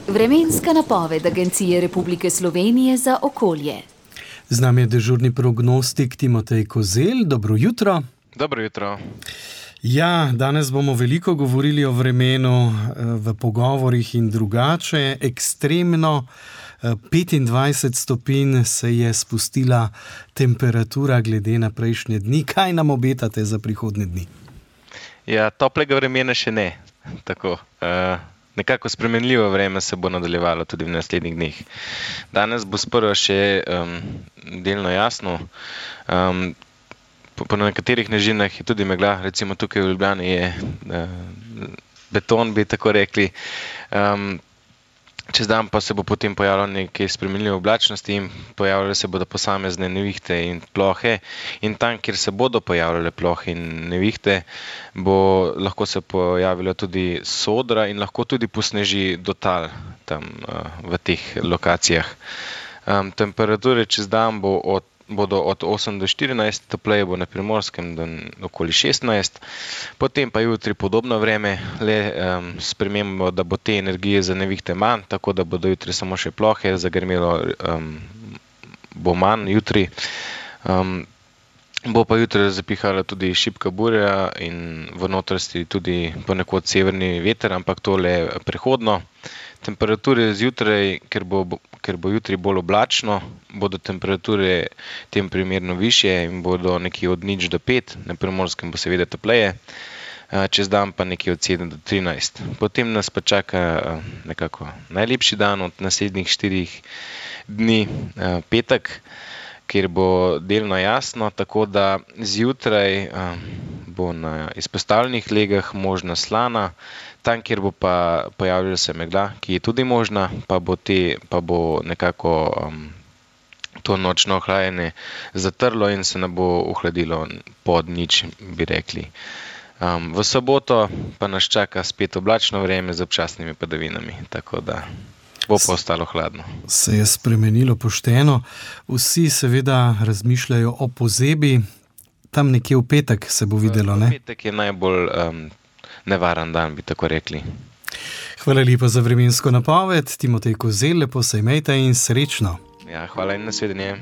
Vremenska napoved Agencije Republike Slovenije za okolje. Z nami je dežurni prognostik Timotej Kozelj. Dobro jutro. Dobro jutro. Ja, danes bomo veliko govorili o vremenu v pogovorih in drugače. Ekstremno 25 stopinj se je spustila temperatura glede na prejšnje dni. Kaj nam obetate za prihodnje dni? Ja, toplega vremena še ne. Tako, nekako spremenljivo vreme se bo nadaljevalo tudi v naslednjih dneh. Danes bo sprva še delno jasno. Po nekaterih nižinah je tudi megla, recimo tukaj v Ljubljani je beton, bi tako rekli. Čez dan pa se bo potem pojavilo nekaj spremenljive oblačnosti in pojavljale se bodo posamezne nevihte in plohe. In tam, kjer se bodo pojavljale plohe in nevihte, bo lahko se pojavila tudi sodra in lahko tudi posneži do tal tam v teh lokacijah. Temperature čez dan bodo od 8 do 14, topleje bo na Primorskem do okoli 16, potem pa jutri podobno vreme, le spremembo, da bo te energije za nevihte manj, tako da bodo jutri samo še plohe, zagrmelo bo manj jutri. Bo pa jutri zapihala tudi šibka burja in v notranjosti tudi ponekod severni veter, ampak to le prehodno. Temperature zjutraj, ker bo jutri bolj oblačno, bodo temperature tem primerno višje in bodo nekje od 0 do 5, na Primorskem bo seveda topleje, čez dan pa nekje od 7 do 13. Potem nas pa čaka nekako najlepši dan od naslednjih 4 dni, petek, kjer bo delno jasno, tako da zjutraj bo na izpostavljenih legah možna slana, tam, kjer bo pa pojavljala se megla, ki je tudi možna, pa bo nekako to nočno ohlajanje zatrlo in se ne bo ohladilo pod 0, bi rekli. V soboto pa nas čaka spet oblačno vreme z občasnimi padavinami, tako da bo pa ostalo hladno. Se je spremenilo pošteno. Vsi seveda razmišljajo o pozebi. Tam nekje v petek se bo videlo, ne? V petek je najbolj nevaren dan, bi tako rekli. Hvala lepa za vremensko napoved. Timotej Kozelj, lepo se imejte in srečno. Ja, hvala in nasvidenje.